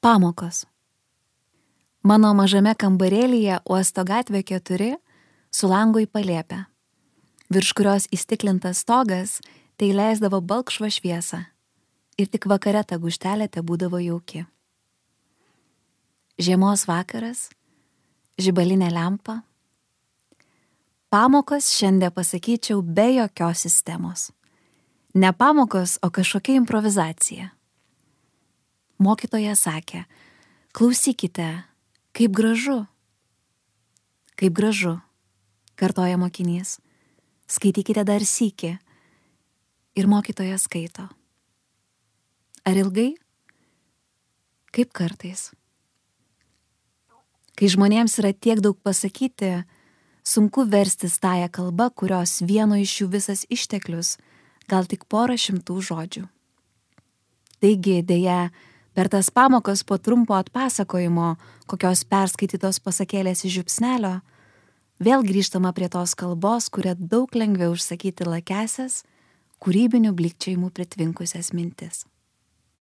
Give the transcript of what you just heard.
Pamokos. Mano mažame kambarėlyje Uosto gatvė 4 su langu į palėpę, virš kurios įstiklintas stogas tai leisdavo balkšvą šviesą ir tik vakare ta guštelė te būdavo jauki. Žiemos vakaras, žibalinė lempa. Pamokos šiandien pasakyčiau be jokios sistemos. Ne pamokos, o kažkokia improvizacija. Mokytoja sakė, klausykite, kaip gražu. Kaip gražu, kartoja mokinys. Skaitykite dar sykį. Ir mokytoja skaito. Ar ilgai? Kaip kartais. Kai žmonėms yra tiek daug pasakyti, sunku verstis tąją kalbą, kurios vieno iš jų visas išteklius, gal tik 100 žodžių. Taigi, dėja, per tas pamokas po trumpo atpasakojimo, kokios perskaitytos pasakėlės iš žiupsnelio, vėl grįžtama prie tos kalbos, kuria daug lengviau užsakyti lakesias, kūrybinių blikčiojimų pritvinkusias mintis.